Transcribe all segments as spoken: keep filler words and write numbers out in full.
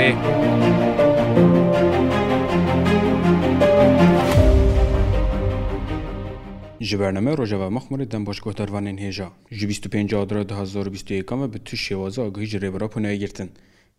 Ji bername Rojava Mexmûrê dem baş guhdarvanên hêja. Ji bîst û pênc Adra du hazar û bîst û yekan ve bi tu şêwaza agahî ji Rêber Apo nayê girtin.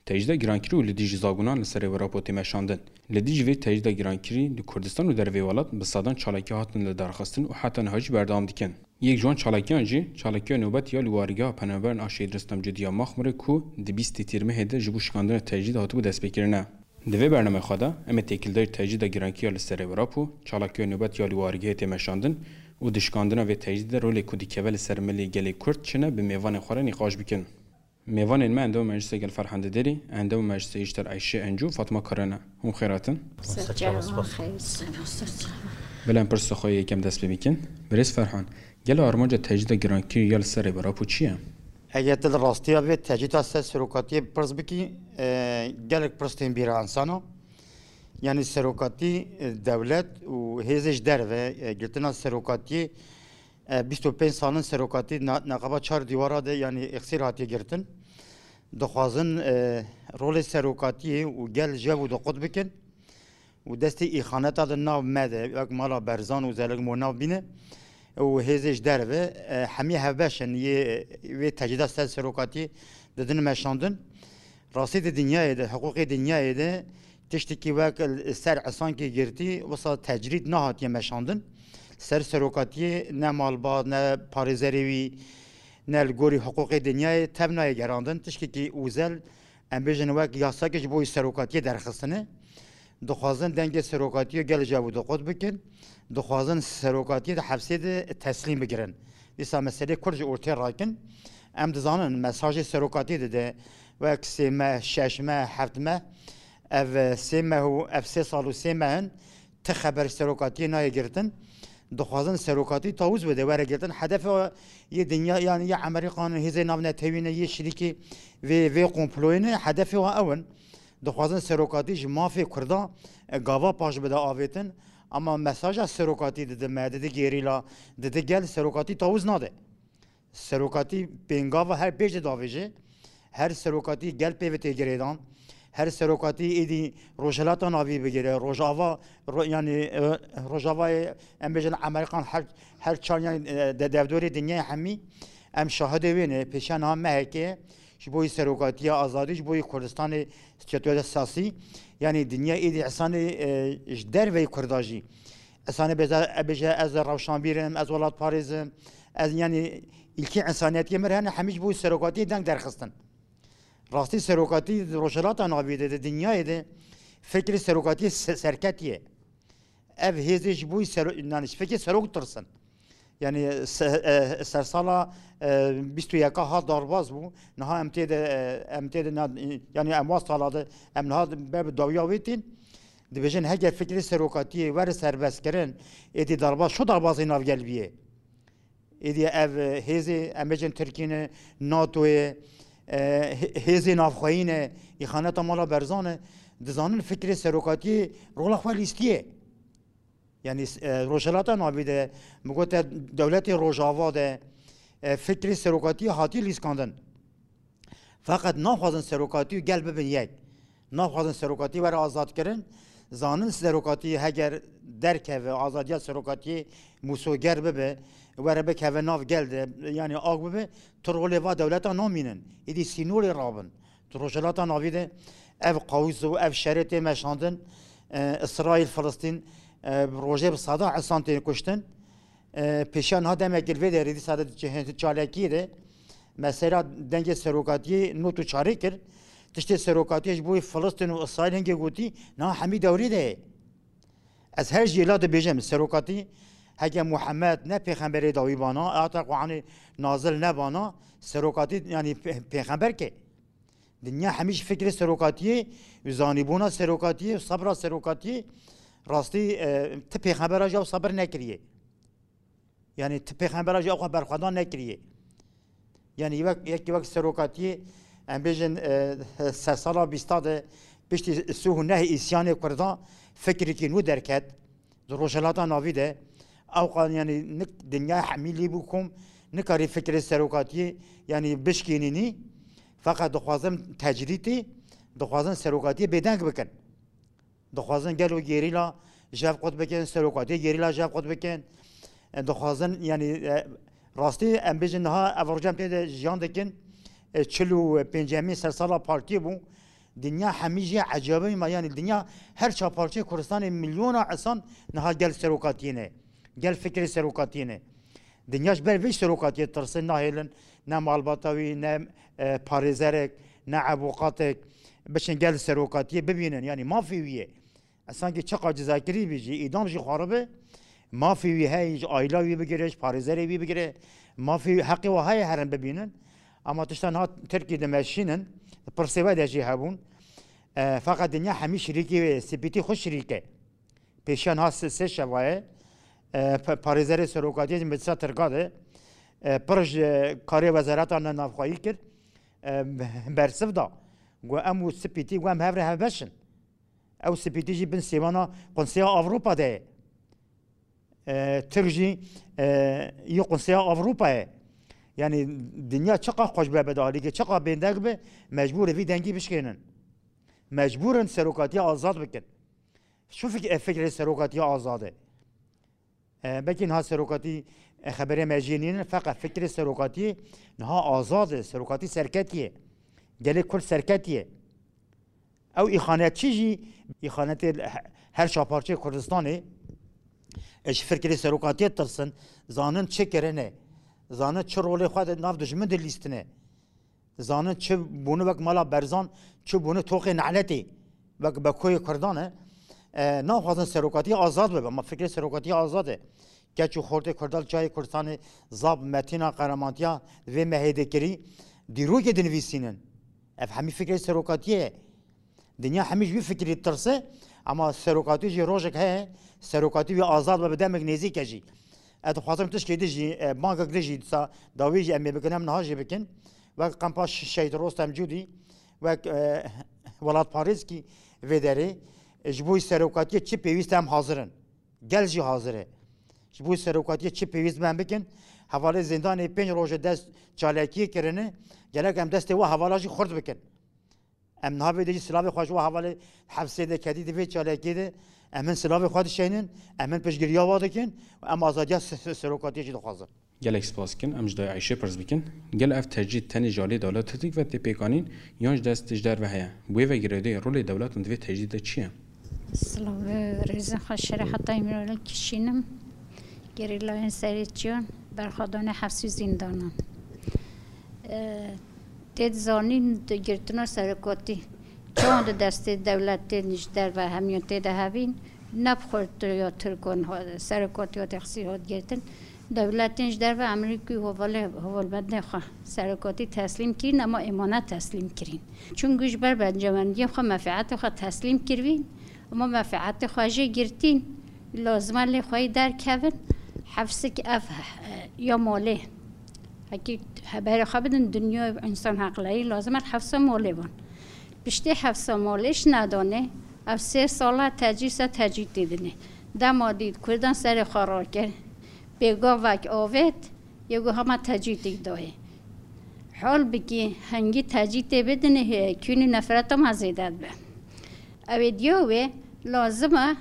Tecrîda girankirî û li dijî zagonan li ser Rêber Apo tê meşandin. Li dijî vê tecrîda girankirî di Kurdistan û dervê welat bi sedan çalakî hatin lidarxistin û heta niha jî berdewam dikin. Yek ji wan çalakiyan jî, çalakiya nobet ya li warigeha penaberên a Şehîd Rustem Cudî ya Mexmûrê ku di bîstê Tîrmehê de ji bo şikandina tecrîdê hatibû destpêkirin e. Di vê bernameyê xwe de em ê têkildarî tecrîda girankî ya li ser Rêber Apo, çalakiya nobet ya li warigehê tê meşandin û di şikandina vê tecrîdê de rolê ku dikeve li ser milê gelê Kurd çi ne bi mêvanên xwe re nîqaş bikin. Mêvanên me endamê Meclîsê Gel Ferhan Diderî, endamê Meclîsê Îşter Eyşe Encu, Fatma Kara ne. Hûn xêr hatin. Ser çava, xeyr, ser çava. Bila em pirsa xwe yê yekem dest pê bikin. Birêz Ferhan, gelo armanca tecrîda girankirî ya li ser Rêber Apo çi ye? Eger tu li rastiya vê tecrîda ser serokatiyê pirs bikî, e, gelek pirs tên bîra insana. Yanî serokatî, e, dewlet û hêzê ji derve, e, girtina serokatiyê, e, bîst û pênc salin serokatî na-, neqeba çar dîwara de, yanî îxsîr hatiye girtin. Dixwazin, e, rolê serokatiyê û gel jev û diqut bikin û destê îxaneta di nav me de, wek mala Berzan û zelek mo nav bîne û hêzê ji derve, e, hemî hevbeş in yê vê tecrîda ser serokatiyê didin meşandin. Rastî di dinyayê de, hiqûqê dinyayê de tiştekî wek li ser esankê girtî wisa tecrîd nehatiye meşandin. Ser serokatiyê ne malbat, ne parêzerê wî, ne li gorî hiqûqê dinyayê tev nayê gerandin. Tiştekî ûzel, em bêjin wek yasakê ji bo wî serokatiyê derxistine. Dixwazin dengê serokatiyê gel ji ew diqut bikin. Dixwazin serokatiyê di hepsê de teslîm bigirin. Dîsa meselê Kurd ji ortê rakin. Em dizanin mesajê serokatiyê dide wek sê meh, şeş meh, heft meh. Ev sê meh û ev sê sal û sê meh in ti xeber serokatiyê nayê girtin. Dixwazin serokatî tawûz bide, were girtin. Hedefê yê dinya, yanî yê Emerîkan, hêzê navnetewî ne, yê şirîkê vê, vê komployê ne, hedefê wan ew in. Dixwazin serokatî ji mafê Kurdan, e, gava paş bide avêtin. Ama mesaja serokatî didi me, didi gerîla, didi gel, serokatî tawûz nade. Serokatî pêngava her pêş de davêje. Her serokatî gel pê ve tê girêdan. Her serokatî êdî Rojhilata Navî bigire. Rojava, ro-, yanî, e, Rojavayê, em bêjin Emerîkan her, her çar yanî, e, de-, devdorê dinyayê hemî. Em şahidê wê ne. Pêşiya niha mehekê ji bo yî serokatiya azadî, ji bo yî Kurdistanê statûya siyasî. Yanî dinya êdî esanê, e, ji derveyî Kurda jî. Esanê bêze-, e, bêje ez rewşanbîr im, ez welatparêz im. Ez, yanî, îlkê însaniyetiyê mir hene, hemî ji bo serokatiyê deng derxistin. Rastî serokatî di Rojhilata Navî de, di dinyayê de fikrê serokatiyê se-, serketiye. Ev hêzê ji bo sero-, yanî ji fikrê serok tirsin. Yanî se-, e, sersala, e, bîst û yeka hat darbaz bû. Niha em tê de, e, em tê de na-, yanî em wa sala de, em niha ber bi dawiya wê tên. Dibêjin heger fikrê serokatiyê were serbestkirin, êdî darbaz, şu darbazê navgel bîye. Êdî ev, e, hêzê, em bêjin Tirkî ne, NATO ye, e, hê-, hêzê navxweyî ne, îxaneta mala Berzan e, dizanin fikrê serokatiyê rola xwe lîstiye. Yanî, e, Rojhilata Navî de, min gote dewletê Rojava de, e, fikrê serokatiyê hatiye lîskandin. Feqet naxwazin serokatî û gel bibin yek. Naxwazin serokatî were azadkirin. Zanin serokatî heger derkeve, azadiya serokatiyê mûsoger bibe, were bikeve nav gel de, yanî ak bibe, tu rolê va dewleta namînin. Êdî sînorê rabin. Tu Rojhilata Navî de ev qawîs û ev şerê tê meşandin, e, Îsraîl, Filistîn, e, rojê bi sada insan tên kuştin. E, pêşiya niha demekê li vê derê dîsa de çalakiyê de mesela dengê serokatiyê not û çarê kir. Tiştê serokatiyê ji bo Filistîn û Îsraîl hingê gotî, niha hemî dewrê de ye. Ez her jî la dibêjim, serokatî heke Muhammed ne pêxemberê dawî bana, heta Quranê nazil nebana, serokatî, yanî pê-, pêxember ke. Dinya hemî ji fikrê serokatiyê û zanîbûna serokatiyê û sebra serokatiyê rastî, e, ti pêxembera jî ew sebir nekiriye. Yanî ti pêxembera jî ew xwe berxwedan nekiriye. Yanî wek, yekî wek serokatiyê, em bêjin, e, sersala bîsta de piştî sih û neh îsyanê Kurdan fikrekî nû derket. Di Rojhilata Navî de ewqan, yanî nik dinya hemî lê bû kom, nikarî fikrê serokatiyê, yanî bişkênînî. Feqet dixwazim tecrîtî, Dixwazin serokatiyê bêdeng bikin. Dixwazin gelo gerîla jev qut bikin, serokatiyê gerîla jev qut bikin. E, dixwazin, yanî, e, rastî em bêjin niha ev roj em tê de jiyan dikin. E, çil û pêncemîn sersala partiyê bû. Dinya hemî jî ecabî me, yanî dinya her çar parçeyê Kurdistanê milyona insan niha gel serokatiyê ne. Gel fikrê serokatiyê ne. Dinya ji ber vê serokatiyê ditirsin, nahêlin ne malbata wî, ne, e, parêzerek, ne ewqatek biçin gel serokatiyê bibînin. Yanî mafê wî ye. E, sankî çiqa cizakirî bî jî, îdam jî xwaribe, mafê wî heye, ji aîla wî bigire, ji parêzerê wî bigire, mafê wî, heqê wa heye herin bibînin. Ama tişta niha Tirkî dimeşînin, pirsê we de jî hebûn. E, feqet dinya hemî şirîkê wê, spîtî xwe şirîk e. Pêşiya niha sê, sê şeva ye. E, pa-, parêzerê serokatiyê ji Meclisa Tirka de, e, pir ji karê wezareta navxweyî kir. E, bersiv da. Got, em û spîtî, got, em hev re hevbeş in. Ew spîtî jî bin sêwana Konseya Ewropa de ye. E, Tirk jî, e, yê Konseya Ewropa ye. Yanî dinya çiqa xweş be, be dalîke, çiqa bêdeng be, mecbûr e vî dengî bişkênin. Mecbûr in serokatiya azad bikin. Şu fik-, e, fikrê serokatiya azad e. E, belkî niha serokatî, e, xeberê me jê nînin, feqet fikrê serokatiyê niha azad e. Serokatî serketiye. Gelê Kurd serketiye. Ew îxanetçî jî, îxanetê he-, her çar parçeyê Kurdistanê, e, ji fikrê serokatiyê tirsin, zanin çi kirine, zanin çi rolê xwe di nav dijmin de lîstine. Zanin çi bûne wek mala Berzan, çi bûne toxê neletê, wek Bekoyê Kurdan e. E, naxwazin serokatiyê azad bibe, ma fikrê serokatiyê azad e. Keç û xortê Kurdan li çayê Kurdistanê zab, metîna, qeremantiya vê mehê de kirî, dîrokê dinivîsînin. Ev hemî fikrê serokatiyê ye. Dinya hemî ji wî fikirî ditirse, ama serokatî jî rojek heye, serokatî wî azad be, bi demek nêzîk e jî. Ez dixwazim tişkê din jî, e, bangek din jî, disa dawî jî em ê bikin, em niha jî bikin. Wek kampa Ş-, Şehîd Rostem Cûdî, wek, e, welatparêzkî vê derê, e, ji bo serokatiyê çi pêwîst e em hazir in. Gel jî hazir e. Ji bo serokatiyê çi pêwîst be em bikin. Hevalê zêndanê pênc roj e dest çalakiyê kirine, gerek em destê we hevala jî xurt bikin. Em niha vê de jî silavê xwe ji we hevalê hepsê de kedî di vê çalakiyê de em hin silavê xwe dişeynin, em hin piştgiriya we dikin û em azadiya se-, se-, serokatiyê jî dixwazin. Gelek spas dikin. Em ji dayê Eyşê pirs bikin. Gel ev tecrîd tenê ji aliyê dewleta Tirk ve tê pêkanîn yan ji dest ji derve heye? Wê ve girêdayî rolê dewletan di vê tecrîd de çi ye? Silav, rêzên xwe, şerê heta îmralê kişînim. Gerîlayên serê çiyan, berxwedanê hefsî zîndanan. E, tê dizanîn di girtina serokatî, çawan di destê dewletên ji derve hemiyan tê de hevîn, ne bi xortiya Tirkan ha-, serokatiya texsî hat girtin. Dewletên ji derve Amerîkî û hevalê, hevalbendê xwe serokatî teslîm kirîn, ema êmane teslîm kirîn. Çunku ji ber bencewendiyê xwe, mefîetê xwe teslîm kirvîn, ema mefîetê xwe jê girtîn, lazim e lê xwe yî derkevin, hefsik ev, e, ya malê. Hekî heberê xwe bidin dinya însan heqleyî, lazim e hefsa malê van. Piştê hefsa malê ji nedane, ev sê sala tecrîd ser tecrîd tê dinê. Dema dît Kurdan serê xwe rakir, pêgavek avêt, yê got hema tecrîdek dayê. Hal bikî, hingî tecrîdê bidinê, hê, kûnî nefreta me zêde dibe. Ew ê diya wê, lazim e,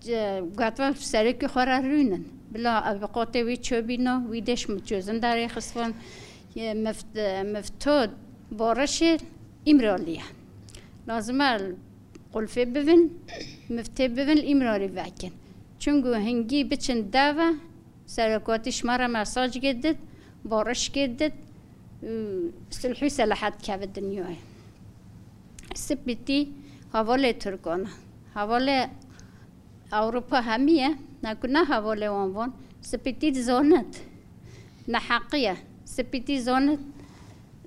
ce-, gatva serokê xwe re rûnin. Bila ewqatê wî çobîna, wî deş mi çözüm derê xistvan, yê mift-, mifto barişê Îmralî ye. Lazim e qulfê bivin, miftê bivin, Îmralî vekin. Çunku hingî biçin deve, serokatî ji me re mesaj girtit, bariş girtit, û sulh û selahet keve dinyayê. Spîtî hevalê Tirkan e. Hevalê Ewropa hemî ye. Ne ku ne hevalê wan van. Spîtî dizanit. Neheqî ye. Spîtî zanit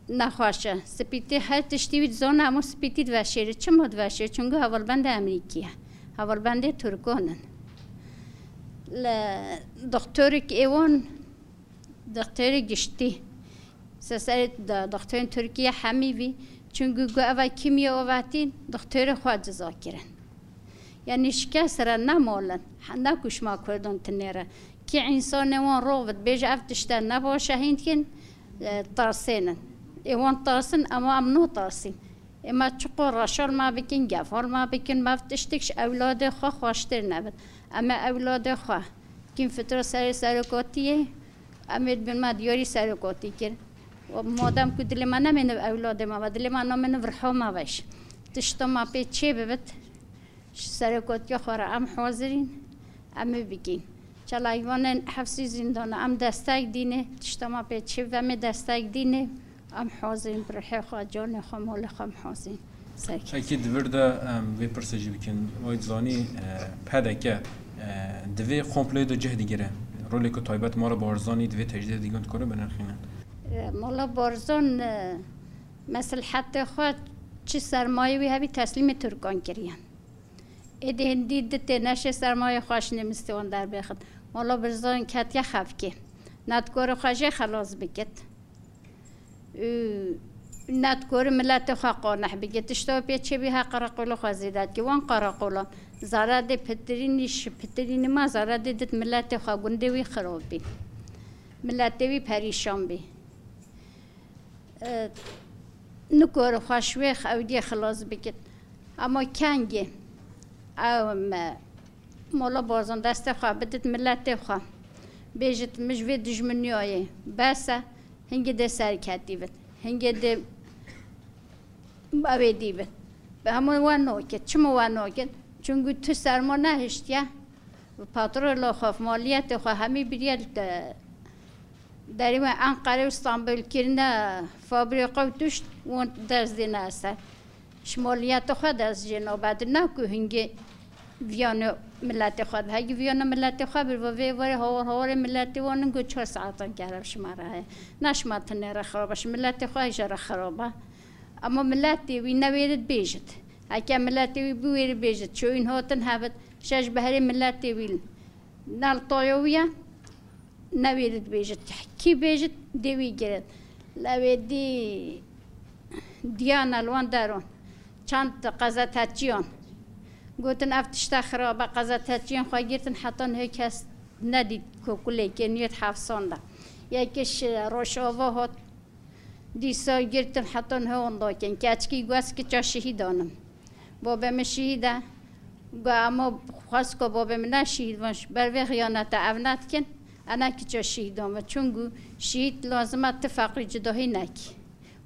nexweş e. Spîtî her tiştî wî dizane, hemû spîtî diveşêre. Çima diveşêre? Çunku hevalbendê Amerîkî ye. Hevalbendê Tirkan in. Li doktorek ê wan, doktorê giştî. Seserê de-, doktorên Tirkiye hemî vî. Çunku gu eva kîmya ovatîn, doktorê xwe ciza kirin. Yanî şikes re nemolin. Ne ku ji ma Kurdan tinê re. Kî însanê wan rov bid, bêje ev tişte ne baş e, hîn dikin, e, tarsênin. Ê wan tarsin, ema em natarsîn. Ê me çiqo reşal me bikin, gefal me bikin, me tiştik ji ewladê xwe xweştir nebit. Em ê ewladê xwe kîn fitra serê serokatiyê, em ê dibin me diyarî serokatî kir. Û madem ku dilê me nemêne ewladê me ve, dilê me namêne virha me ve jî. Tişta me pê çê bibit, ji serokatiya xwe re em hazirîn, em ê bikîn. Çalayvanên hefsî zîndana em destek dînê, tişta me pê çê ve em ê destek dînê, em hazirîn bi rihê xwe, canê xwe, malê xwe em hazirîn. Serkê. Ekî di vir de em vê pirsê jî bikin. Wayî zanî, e, P D K, e, di vê komployê de cih digire. Rolê ku taybet Mala Barzanî di vê tecrîdê digund kore binirxîne. E, Mala Barzan, e, mesleheta xwe çi sermayê wî hebî teslîmê Tirkan kiriye. Êdî hindî di tê neşê sermayê xwe ji nêmistê wan derbêxin. Mala Barzan ketiye xefkê. Nedikore xwe jê xelas bikit. Û nedikore miletê xwe qaneh bike. Tişta pê çêbî her qereqola xwe zêde dike. Wan qereqolan zere dê pitirînî, ji pitirînî ma zere dê dit miletê xwe, gundê wî xirab bî. Miletê wî perîşan bî. E, nikore xwe ji wê ew dê xilas bikit. Ama kengê ew me Mola Barzan destê xwe bidit miletê xwe. Bêjit, min ji vê dijminiyayê bes e, hingê dê serketî bit. Hingê dê ew ê dî bit. Bi hemû we nokit. Çima we nokit? Çunku tu serma nehiştiye. Patrola xwe, maliyetê xwe hemî biriye li te-, derî we Enqere û Stenbul kirine fabrîka û tişt, wan dest dêne ser. Ji maliyeta xwe dest jê nabe, di ne ku hingê viyane miletê xwe de. Hegî viyane miletê xwe bir, vê warê hawar hawarê miletê wan in ku çar saetan kerem ji me re heye. Ne ji me tenê re xirab e, ji miletê xwe jê re xirab e. Ama miletê wî newêrit bêjit. Heke miletê wî biwêrit bêjit, çoyîn hatin hebit, şeş beherê miletê wî nel toyo wî ye. Newêrit bêjit, kî bêjit, dê wî girin. Lewê dî diyana li wan deron, çend qezeteçiyan gotin, ev tişta xirab e, qezeteçiyan xwe girtin, heta niha kes nedît ku kulekê niyet hefsan de. Yekê ji Rojava hat, dîsa girtin, heta niha wan dakin. Keçikî got, kiça şehîdan im. Babê min şehîd e. Got, ema xwest ku babê min ne şehîd bin, ji ber vê xiyanete ev nedikin, e ne kiça şehîdan bin. Çunku şehîd lazim e tu feqîr cudahî nekî.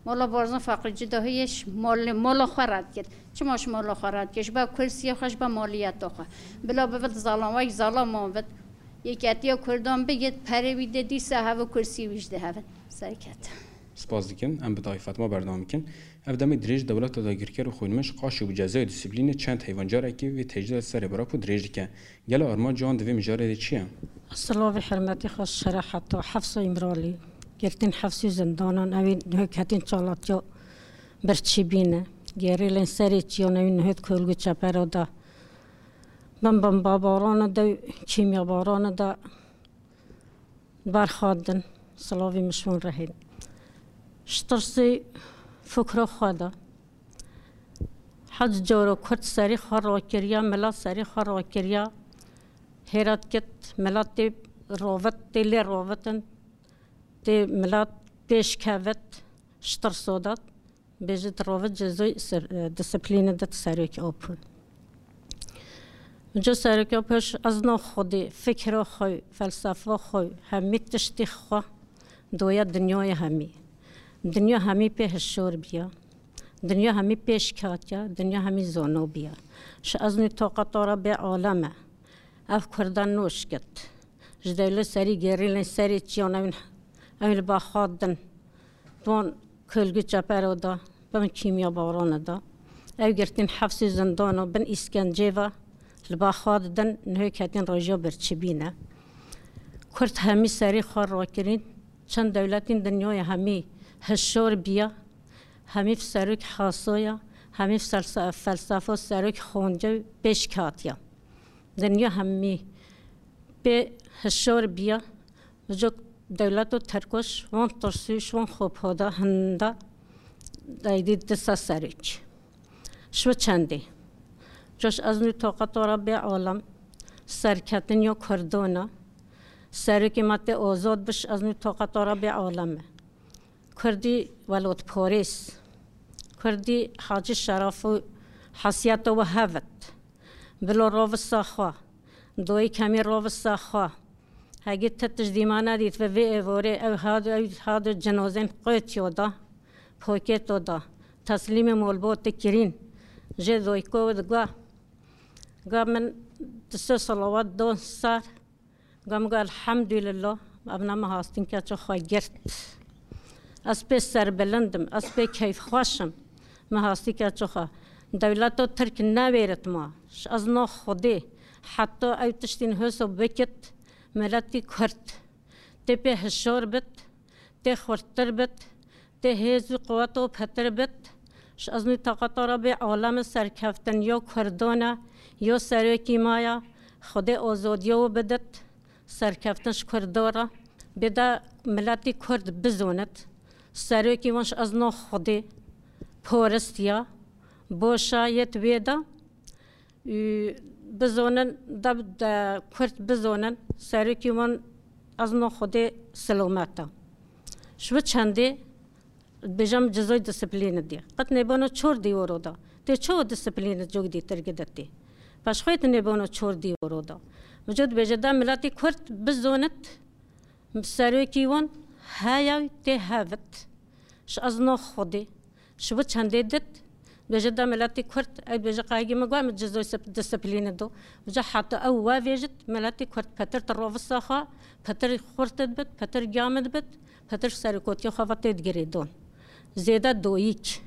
Mola Barzan feqîr cudahiyê ji malê, mala xwe red kir. Çima ji mala xwe red kir? Ji ber kursiyê xwe, ji ber maliyeta xwe. Bila bibit zalam, wek zalaman bit. Yeketiya Kurdan bigit, perê wî dê dîsa heve, kursî wî jî dê heve. Serket. Spas dikim. Em bi Dayê Fatma berdewam bikin. Ev demê dirêj dewleta dagirker û xwînmiş qaşo bi cezayê disiplînê çend heywan carekî vê tecrîda serê bira ku dirêj dike. Gelo armanca wan di vê mijarê de çi ye? Silavê hurmetê xwe ji şerefeta Hefsa Îmralî, girtîn hefsî û zindanan, ew ê niha ketîn çalaktiya birçîbîne. Gerîlên serê çiyan, ew ê niha di kulgû çepera de bin bombabarana de û kîmyabarana de berxwedin, silavê min ji wan re heye. Ji tirsê fikra xwe de, hec cara Kurd serê xwe rakiriya, milet serê xwe rakiriya, hêra dikit, milet tê rovit, tê lê rovitin, tê milet pêş kevit, ji tirsa de. Bêjit, rovit cezoy ser, e, disiplînê de serokê Apo. Ca serokê Apo, ez na xwedî fikra xwe, felsefa xwe, hemî tiştê xwe doya dinyaya hemî. Dinya hemî pê hişar biya. Dinya hemî pêş katiya, dinya hemî zano biya. Ji ez nû taqeta re bê aleme. Ev Kurdan noşkit. Ji dewlet serî gerîlên serê çiyan ew, ew li ba xwe din. Di wan kulgû çepero de, bin kîmya barana de. Ew girtîn hefsê zindana bin îskencê ve li ba xwe didin, niha ketîn roja birçîbîne. Kurd hemî serê xwe rakirîn, çend dewletîn dinyayê hemî hişar biya, hemî serok hasoya, hemî felsa-, felsefa serok xwendê û pêş katiya. Dinya hemî pê hişar biya, ji dewleta Tirk ji wan tirsî, ji wan xwepada hinda deydî disa serok. Ji we çendê. Coş ez nû taqeta re bê alem, serketin ya Kurdana. Serokê me tê azad biş, ez nû taqeta re bê alem e. Kurdî welatparêz, Kurdî Hacî Şeraf û hesiyeta we hevit. Bilo rovisa xwe. Doyî kemî rovisa xwe. Hegî ti tişt dîma nedît ve vê êvorê ew hado, ew hado cinozên qotiyo da, poketo da. Teslîmê molbotê kirîn. Jê doyko diga. Ga min di se salawat don sar. Gam got, "Elhamdülillah, evna me hastîn keço xwe girt. Ez pê serbilind im, ez pê keyfxweş im. Me hastî keço xwe. Dewleto Tirk newêrit ma. Ji ez no Xwedê, heta ew tiştîn hêso bikit, miletî Kurd. Tê pê hişor bit, tê xurttir bit, tê hêz û quweto pitir bit. Ji ez nû taqata re bê aleme serkeftin yo Kurdan e, yo serokî ma ye. Xwedê ozodiya we bidit, serkeftin ji Kurdan re. Bê de miletî Kurd bizonit. Serokî wan ji ez no Xwedê, poristiya, boşa yê di wê de." Û bizonin, de, de Kurd bizonin, serokî wan ez no Xwedê silomet e. Ji bi çendê bêjim cizoy disiplîni diye. Qet nêbano çor dîworo da. Tê ço disiplîni cok dîtir gidetê. Paşxwê tu nêbano çor dîworo da. Vücut bêje da miletî Kurd bizonit, serokî wan heya tê hevit. Ji ez no Xwedê. Ji bo çendê dit, bêje da miletî Kurd, ew bêje qayegî min got, min cizoy sip-, disiplîni do. Vêca heta ew we vêjit, miletî Kurd petir ti rovisa xwe, petir xurt dibit, petir gamid bit, petir serokotiyê xwe ve tê digirê don. Zêde doyîk.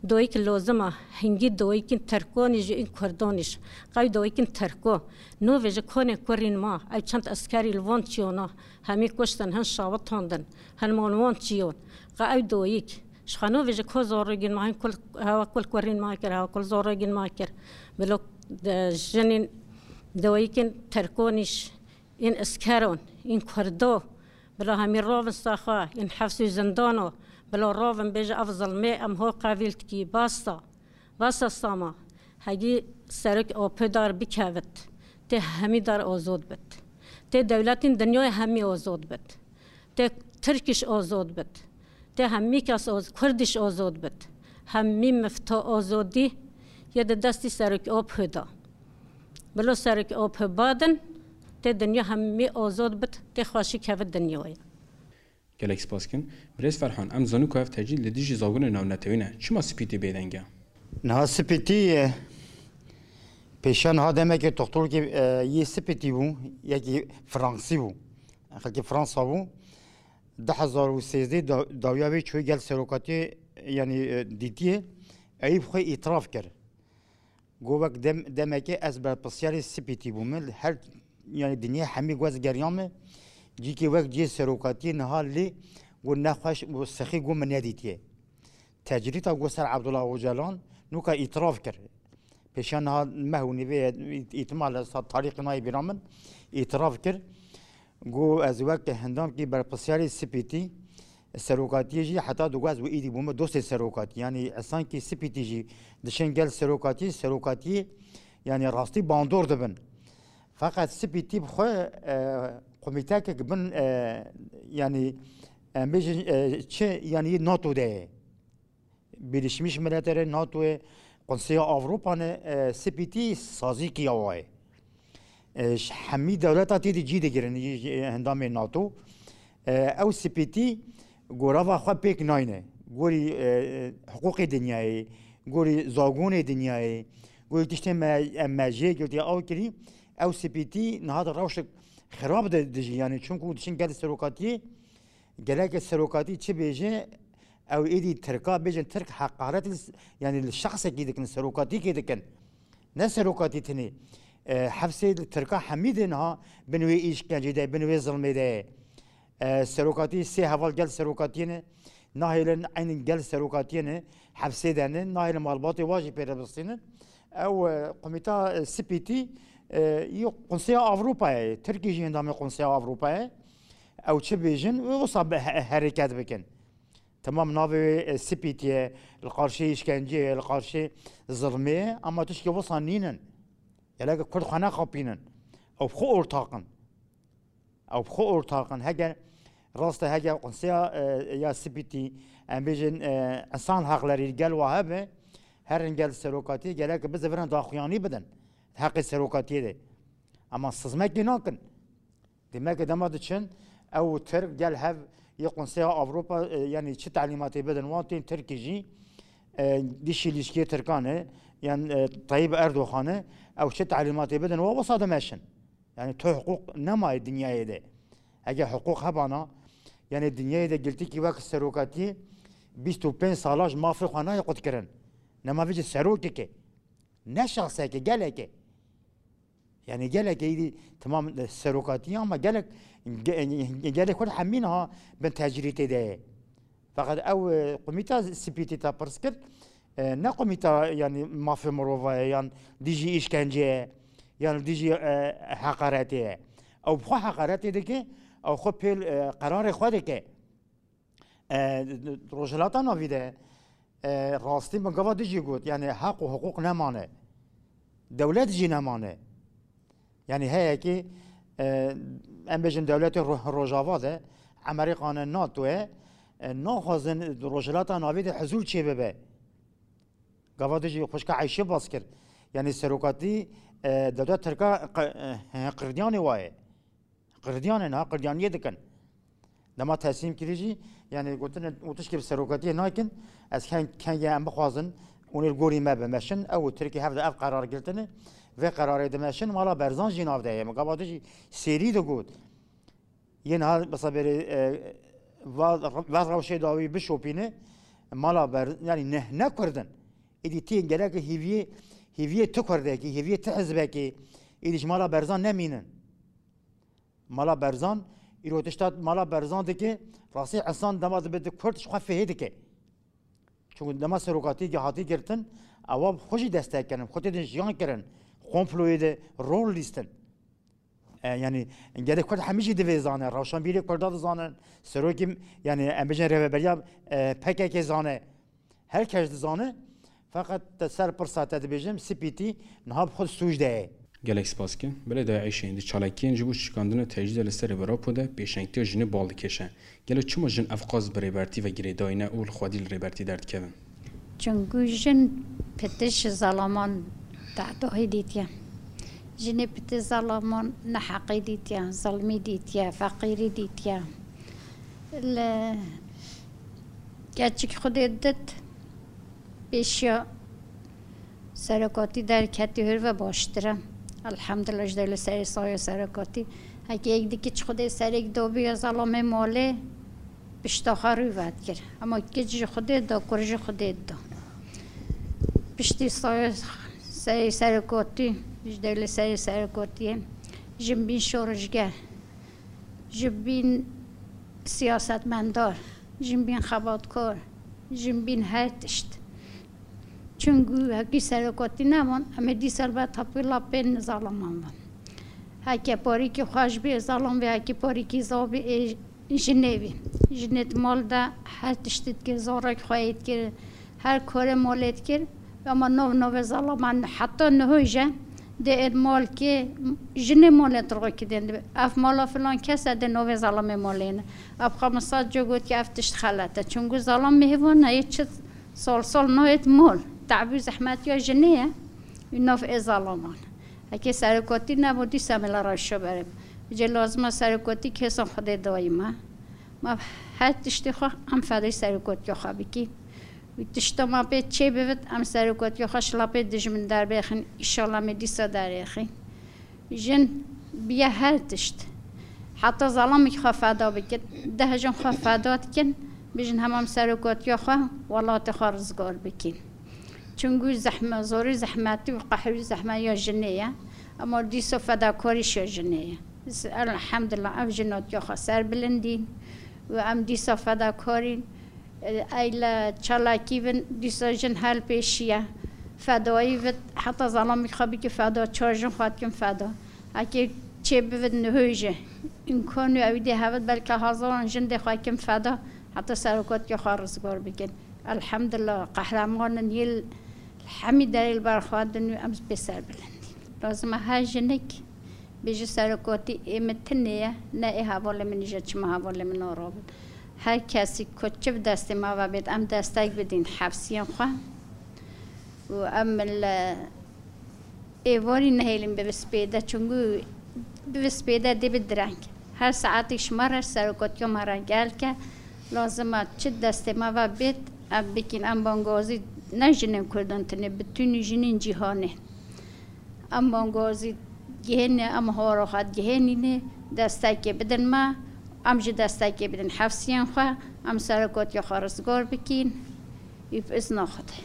Doyîk lozim e, hingî doyîkên Tirkonî jî ên Kurdanî jî. Qey doyîkên Tirko. No vêje konê kurîn ma, ew çend eskerî li van çiyona, hemî kuştin, hin şawitandin, hin man wan çiyon. Qey ew doyîk. Ji xwe no vêje ko zorogîn ma, hin kul, hewa kul kurîn ma kir, hewa kul zorogîn ma kir. Bilo, de, jinên doyîkên Tirkonî jî, ên eskeron, ên Kurdo, bila hemî rovin saxwa, ên hefs û zindano, bila rovin bêje ev zilmê em ho qevîl dikî, basta, basta sama, hegî serok apê dar bikevit, tê hemî dar ozod bit. Tê dewletên dinyayê hemî ozod bit. Tê Tirkiş ozod bit. Tê hemî kes oz-, Kurdiş ozod bit. Hemî mifta ozodî yê di destî serok apê da. Bilo serok apê badin, tê dinya hemî ozod bit, tê xweşî kevit dinyayê. Gelek spas kin. Birêz Ferhan, em zanin ku ev tecrîd li dijî zagonê navnetewî ne. Çima Spîtî bêdeng e? Niha Spîtî, e, pêşiya niha demekê doktorkê, e, yê Spîtî bû, yekî Fransî bû. Xelkê Fransa bû. Du hezar û sêzdeh da-, dawiya wê çûyê gel serokatiyê, yanî, e, dîtiyê. Eyîb xwe îtiraf kir. Got, wek dem-, demekê ez berpirsiyarê Spîtî bûme. Her, yanî dinyê hemî guez geriya me. Cîkê wek cihê serokatiyê niha lê got nexweş û sixî got min nedîtiye. Tecrîta got ser Abdullah Ocalan, nûka îtiraf kir. Pêşiya niha meh û nîvê îhtimal e, sa tarîxê nayê bîra min, îtiraf kir. Got, ez wek hindamkî berpirsiyarê Spîtî, serokatiyê jî heta digot ez wê êdî bûme dostê serokatî. Yanî esankî Spîtî jî dişên gel serokatiyê, serokatiyê yanî rastî bandor dibin. Feqet Spîtî bi xwe, e, komîtekek bin, e, yanî em bêjin, e, çi yanî NATO de ye. Birleşmiş Milletlerê, NATOyê, Konseya Avropa ne, e, Spîtî sazî kiya wayê. E, ji hemî dewleta tê de cî digirin, yê, yê endamê NATO. E, ew Spîtî gorava xwe pêk nayne. Gorî, e, hiqûqê dinyayê, gorî zagonê dinyayê, gorî tiştê me, em me jê girtiye ew kirî, ew Spîtî niha di rewşek xirab de dijî. Yanî çunku diçin gel serokatiyê, gelek serokatî çi bêje, ew êdî Tirka bêjin, Tirk heqaret li s-, yanî li şexsekî dikin, serokatîkê dikin. Ne serokatî tenê. E, hefsê li Tirka hemî de niha bin wê îşkencê de, bin wê zilmê de ye. E, serokatî sê heval gel serokatiyê ne, nahêlin eynî gel serokatiyê ne, hefsê de ne, nahêlin malbatê wa jî pê re bistînin. Ew, e, komîta, e, Spîtî, e, yê Konseya Avropayê ye, Tirkî jî endamê Konseya Avropayê ye. Ew çi bêjin, wê wisa bi he-, herêket bikin. Temam navê wê, e, Spîtî ye, li qarşî îşkenceyê ye, li qarşî zilmê ye, ama tişkê wisa nînin. Gelek Kurd xwe nexapînin. Ew bi xwe ortaq in. Ew bi xwe ortaq in. Heger Rast e, heke konseya, e, ya Spîtî, em bêjin, e, însan heqlerî gel wa hebe, herin gel serokatiyê, gerek bizivirin daxuyanî bidin heqê serokatiyê de. Ema sizmekê nakin. Demek e dema diçin, ew Tirk gel hev yê Konseya Ewropa, e, yanî çi telîmatê bidin wan tên Tirkî jî, e, dişî lîşkê Tirkan e, yan, e, Tayyip Erdogan e, ew çi telîmatê bidin wa wisa dimeşin. Yani tu hiqûq nemaye dinyayê de. Eger hiqûq hebana, yani dinyayê de girtîkî wek serokatiyê bîst û pênc sala ji mafê xwe nayê qutkirin. Nema vê jî serokeke. Ne şexseke, geleke. Yani geleke îdî temam serokatiyê ama gelek, ge-, gelek Kurd hemî niha bin tecrîtê de ye. Feqet ew, e, komîta Spîtî te pirs kir, e, ne komîta, yani, mafê mirova ye, yan dijî îşkence ye, yan dijî, e, heqaretê ye. Ew bi xwe heqaretê dike, ew xwe pêl, e, qerarê xwe dike. E, Rojhilata Navî de, e, rastî min gava dijî got, yani, heq û hiqûq nemane. Dewlet jî nemane. Yani heyekî, e, em bêjin dewletê Ro-, Rojava de, Emerîkan e, NATO ye, e, naxwazin Rojhilata Navî de huzûr çêbibe. Gava dijî xwişka Eyşê bas kir. Yani serokatî, e, dewlet Tirka qe-, e, qirdiyanê wa ye. Qirdiyan e, niha qirdiyaniyê dikin. Dema teslîm kirî jî, yani gotine û tişkî bi serokatiyê nakin, ez ken-, kengê em bixwazin, hûn ê li gorî me bimeşin, ew û Tirkî hev de ev qerar girtine, vê qerarê dimeşin, mala Berzan jî nav de ye. Min gava dijî serî digot. Yên ha, mesela berê, e, va, va rewşê dawî bişopîne, mala Ber-, yani ne, ne Kurd in. Êdî tê gerek hîviyê, hîviyê tu Kurdekî, hîviyê tu hizbekî, êdî ji mala Berzan nemînin. Mala Berzan, îro tişta mala Berzan dike, rastî insan dema dibe di Kurd ji xwe fihê dike. Çunku dema serokatiyê hatî girtin, ewa xwe jî destek kirin, xwe tê din jiyan kirin, komployê de rol lîstin. E, yani, gelê Kurd hemî jî divê zane, rewşenbîrê Kurda dizanin, serokê, yani, em bêjin rêveberiya, e, P K K zane, her kes dizane, feqet te ser pirsa te dibêjim, Spîtî niha bi xwe sûc de ye. Gelek spas dikim. Belê dayê Eyşên, di çalakiyên ji bo şikandina tecrîda li ser Ewropa de pêşengtiya jinê bal dikêşe. Gelo çima jin ev qas bi rêbertî ve girêdayî ne û li xwedî li rêbertî derdikevin? Çunku jin pitiş zalaman tehdahî dîtiye. Jinê pitiş zalaman neheqî dîtiye, zilmî dîtiye, feqîrî dîtiye. Li keçik Xwedê dit, pêşiya serekatî derketî hûr ve baştir e. Elhamdulillah, ji dewle serê saya serekatî. Heke yek dikî çi Xwedê serek dobiya zelamê malê, pişta xwe rû vedikir. Ema kiç ji Xwedê da, kur ji Xwedê da. Piştî saya serê serekatî, ji dewle serê serekatiyê, jin bîn şoreşger. Ji bîn siyasetmendar, ji bîn xebatkar, ji bîn her tişt. Çunku hekî serekatî neman, em ê dîsa li ber tapî lapên zalaman bin. Heke parîkî xweş bî, zalam bî, hekî parîkî zaf bî, ê jinê bî. Jinê di mal de her tiştî dikir, zarek xweyê dikir, her karê malê dikir. Ama nov nove zalaman heta niho jî dê êd mal kê, jinê malê di rokî dên dibe. Ev mala filan kes e, dê novê zalamê malê ne. Ev xwe min sed car gotiye, ev tişt xelet e. Çunku zalam mêvan e, yê çi sal sal nayêt mal. Te'b û zehmetiya jinê ye. Û nav ê zalaman. Heke serekotî nebû, dîsa me la rewşa berê. Cê lazim e serekotî kesan Xwedê dayî me. Ma her tiştê xwe em fedayî serekotiya xwe bikî. Û tişta ma pê çê bivit, em serekotiya xwe ji lapê dijmin derbêxin, îşallah me dîsa derêxin. Jin biye her tişt. Heta zalamekî xwe feda bikin, deh jin xwe feda dikin, bijin hema em serekotiya xwe, welatê xwe rizgar bikin. Çunku zehme, zorî zehmetî û qehrî zehme ya jinê ye. Ema dîsa fedakarî şe jinê ye. Elhamdulillah, ev jin hatiye xwe serbilindîn û em dîsa fedakarîn. Eyle çalakî bin, dîsa jin hel pêşiye. Fedayî vit, heta zalamî xwe bikî feda, çar jin xwe dikin feda. Hekê çê bivit nihoy jî. Îmkan û ewî dê hevit, belke hezaran jin dê xwe kim feda, heta serokatiya xwe rizgar bikin. Elhamdulillah, qehremanin yê li hemî derê li ber xwe din û em pê serbilindîn. Lazim e her jinik Bêje serokatî ê min tinê ye, ne ê hevalê min îje çima hevalê min naro bin. Her kesî ku çi bi destê me ve bêt, em destek bidîn hefsiyên xwe. Û em li êvarî nehêlin bi spêde, çunku bi spêde dê bi direng. Her saetî ji me re serokatiya me re gel ke, lazim e çi destê me ve bêt, em bikîn. Em bangazî ne jinên Kurdan tinê, bütünî jinên cîhanê. Em bangazî gihêne, em horoxat gihênîne, destekê bidin me, em jî destekê bidin hefsiyên xwe, em serokatiya xwe rizgar bikîn, û bi izna Xwedê.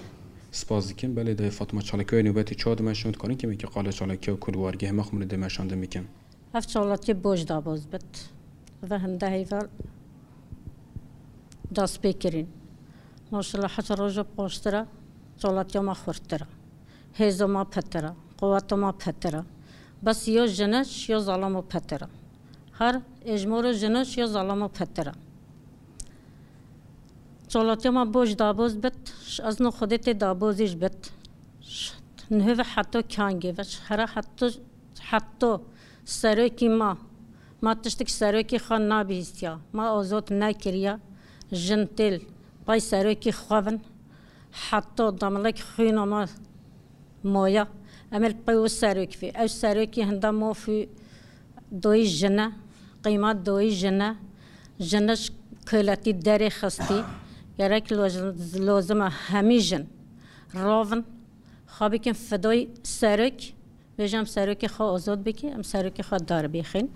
Spas dikim. Belê, dayê Fatma, çalakiyê nûbetê çawa dimeşin û dikarin kêmekî qala çalakiya ku li wargehê me xwe min ê dimeşandin bikin? Ev çalakî boş daboz bit. Ve hinde heyval dest pê kirin. Maşallah, heta roja paştira çalakiya me xurtira. Hêza me petira, quweta me petira. Bes ya jine, ya zalama petira. Her êjmora jine, ya zalama petira. Çalakiya me boş daboz bit, ş-, ez no Xwedê tê dabozî ji bit. Ş-, nihe ve heta kangê ve, ş-, here heta, heta serokî ma, ma tiştik serokî xwe nabihîstiya, ma azad nekiriya, jin têl pay serokî xwe vin, heta damlek xwîna ma moya, em ê li pey wî serok vî. Ew serokî hinda maf û doyî jin e, qîmet doyî jin e. Jin e ji koletî derê xistî. Gerek loz-, lozim e hemî jin rovin, xwe bikin fidoyî serok. Bêje em serokê xwe azad bikî, em serokê xwe derbêxin.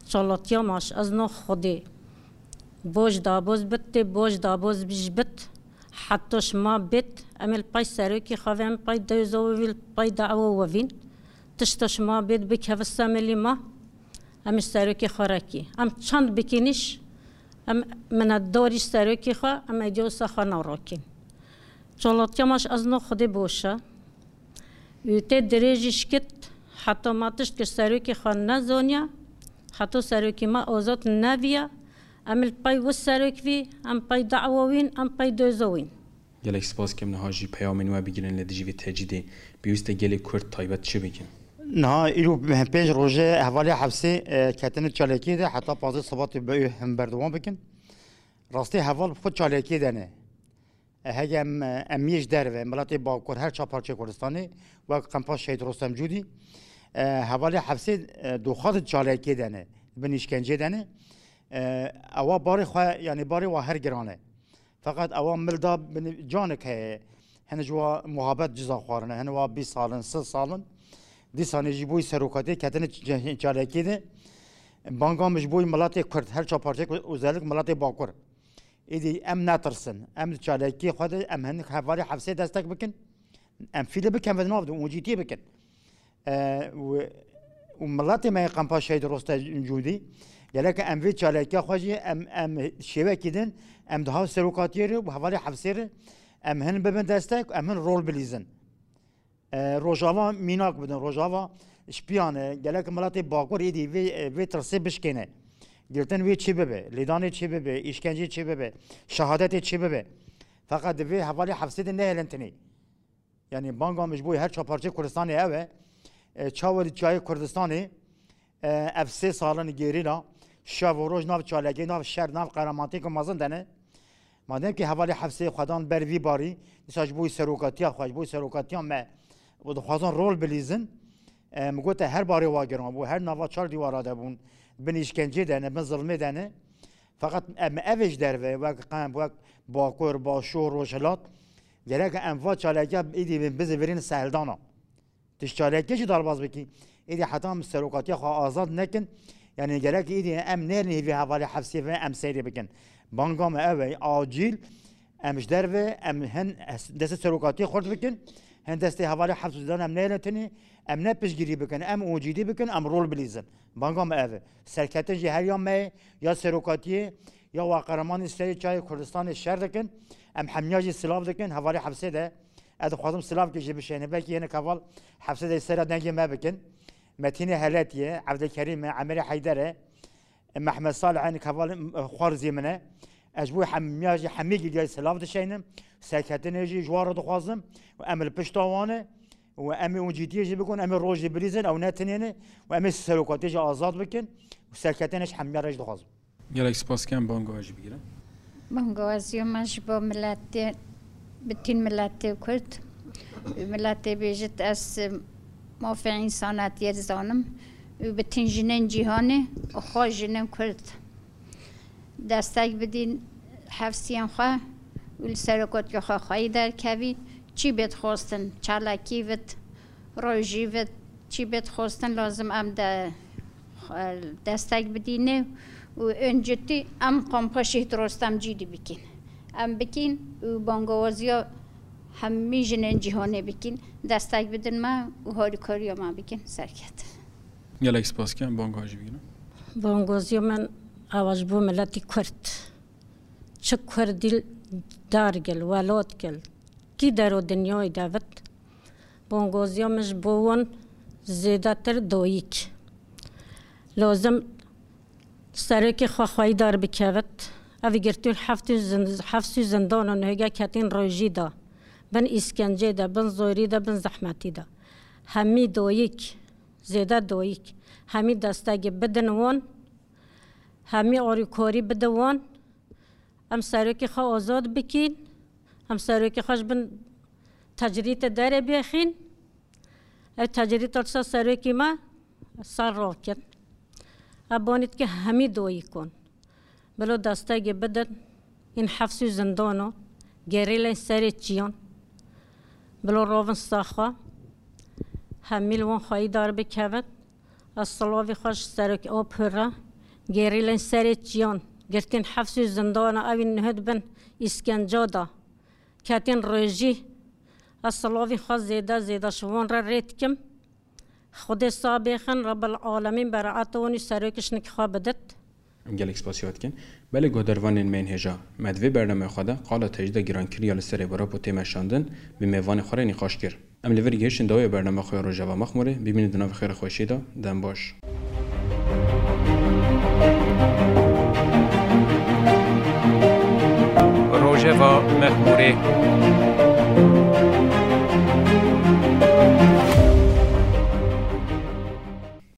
Çalatiya me ji ez no Xwedê boş daboz bit, tê boş daboz bij bit. Heta şima bêt, em ê li pay serokê xwe ve, em pay dewza we vî, li pay dawa we vîn. Tişta şima bêt bikeve semelî ma, em ji serokê xwe rekî. Em çend bikînîş, em minetdarî serokê xwe, em êdî wisa xwe narakîn. Çalatiya me ji ez no Xwedê boş e. Û tê dirêjî şikit, heta ma tişt kir serokê xwe nezaniya, heta serokê me azad neviya, em li pay wî serok vî, em pay dawa wîn, em pay doza wîn. Gelek spas kem niha jî peyamên we bigirin li dijî vê tecrîdê. Pêwîst e gelê Kurd taybet çi bikin? Niha îro pênc roj e hevalê hepsê, e, ketine çalakiyê de heta pazdeh Sibatê bi him berdewam bikin. Rastî heval bi xwe çalakiyê de ne. E, hege em, e, em yê ji derve, miletê Bakur, her çar parçeyê Kurdistanê, wek Qempa Şehîd Rostem Cûdî, e, hevalê hepsê, e, doxat çalakiyê de ne, bin îşkenceyê de ne. E, ewa barê xwe, yanî barê wa her giran e. Feqet ewa mil da bin canik heye. Hin ji wa muhabet ciza xwarine. Hin wa bîst salin, sih salin. Dîsanê jî boyî serokatiyê ketine ç-, çalakiyê de. Banga min ji boyî miletê Kurd, her çar parçeyê Kurd, özellik miletê Bakur. Îdî em netirsin. Em di çalakiyê xwe de, em hinek hevalê hepsê destek bikin. Em fîlê bikin ve nav de, ûncîtiyê bikin. E, û, û miletê me yê Qempa Şehîd Rostem Cûdî, gerek em vê çalakiya xwe jî em, em şêwekî din, em di hav serokatiyê re û hevalê hepsê re em hin bibin destek, em hin rol bilîzin. E, Rojava mînak bidin, Rojava ji piyan e, gerek miletê Bakur êdî vê, vê tirsê bişkêne. Girtin wê çê bibe, lêdanê çê bibe, îşkencê çê bibe, şehadetê çê bibe. Feqet di vê hevalê hepsê de nehêlin tinê. Yanî banga min ji bo her çar parçeyê Kurdistanê ew e. E, çawa di çiyayê Kurdistanê, e, ev sê salin gerîla, şev û roj nav çalakê, nav şer, nav qeremaniyeke mezin de ne. Madem ki hevalê hepsê xwe dan ber vî barî, dîsa ji bo serokatiya xwe, ji bo serokatiya me û dixwazin rol bilîzin, e, min gote her barê wa giran bû, her nava çar dîwara de bûn, bin îşkencê de ne, bin zilmê de ne. Feqet em ev ê ji derve, wek Qem, wek Bakur, Başûr, Rojhilat, gerek em va çalakiya êdî bizîvirîn seheldana. Tu ji çalakiyê jî derbas bikî. Êdî heta em serokatiya xwe azad nekin, yanî gerek êdî em nêrin hêvî hevalê hepsê ve em seyrê bikin. Banga me ev e, acîl em ji derve, em hin destê serokatiyê xurt bikin, hin destê hevalê hepsê dan em nêrin tinî, em ne piştgirî bikin, em ûncîtî bikin, em rol bilîzin. Banga me ev e. Serketin jî her ya me ye, ya serokatiyê, ya wa qeremanî serê çiyayê Kurdistanê şer dikin. Em hemiya jî silav dikin, hevalê hepsê de. Ez dixwazim silavkê jî bişêne. Belkî hinek heval hepsê de sera dengê me bikin. Metînê Heletî ye, Evdilkerîm e, Emerê Heyder e, Mehmet Salih e, hinek heval, e, xwarzî min e. Ez ji bo hemiya jî hemî giliyayî silav dişeynim. Serketinê jî ji wan re dixwazim. Û em li pişta wan e. û em ê hûn cîdiyê jî bikin, em ê rojê bilîzin, ew ne tinê ne, û em ê serokatiyê jî azad bikin û serkeftinê ji hemiya re jî dixwazim. Gelek spas dikim, banga we jî bigirin. Bangawazîya me ji bo miletê, bitîn miletê Kurd, miletê bêjit ez mafê însanetiyê dizanim û bitîn jinên cîhanê û xwe jinên Kurd destek bidîn, hefsiyên xwe û li serokatiya xwe xweyî derkevîn, çî bê dixwestin, çalakî bit, rojî bit, çî bê dixwestin lazim em de destek bidîne û ên citî em kampa Şehîd Rostem Cîdî bikîn. Em bikîn û bangawaziya hemî jinên cîhanê bikîn, destek bidin me û harîkariya me bikin. Serket. Gelek spas dikim, banga we jî bigirin. Bangawaziya min ew e ji bo miletî Kurd. Çi Kurdî dar gel, welat gel, kî dero dinyayê de bit, bangawaziya min ji bo wan zêdetir dayik. Lazim serokê xwe xweyî dar bikevit. Ev girtî heft û zin-, heft û zindana nihêge ketîn rojî de, bin îskencê de, bin zorî de, bin zehmetî de. Hemî dayik, zêde dayik, hemî destekê bidin wan, hemî arîkarî bide wan. Em serokê xwe azad bikîn, em serokê xwe ji bin tecrîtê derê bêxîn. Ev tecrîta disa serokê me ser rakin. Ev banî dike hemî doyî kon. Bilo destegê bidin, în hefs û zindano, gerîlên serê çiyan. Bilo rovin saxwa, hemî li wan xweyî dar bikevin. Ez silavî xwe ji serok Opir re, gerîlên serê çiyan, girtîn hefs û zindana, ewî nihid bin îskenca da, ketîn rojî. Ez silavî xwe zêde zêde ji wan re rê dikim. Xwedê sabêxin, Rebbil Alemîn beraeta wan û serokê şinik xwe bidit. Em gelek spasiya dikin. Belê guhdarvanên me yên hêja, me di vê bernameya xwe de qala tecrîda gîrankirî ya li ser êvarap û tê meşandin bi mêvanê xwe re nîqaş kir. Em li vir gihiştin dawiyê bernama xwe ya Rojeva Mexmûrê, bimînin di nav xêr û xweşiyê de, dem baş. Rojeva Mexmûrê.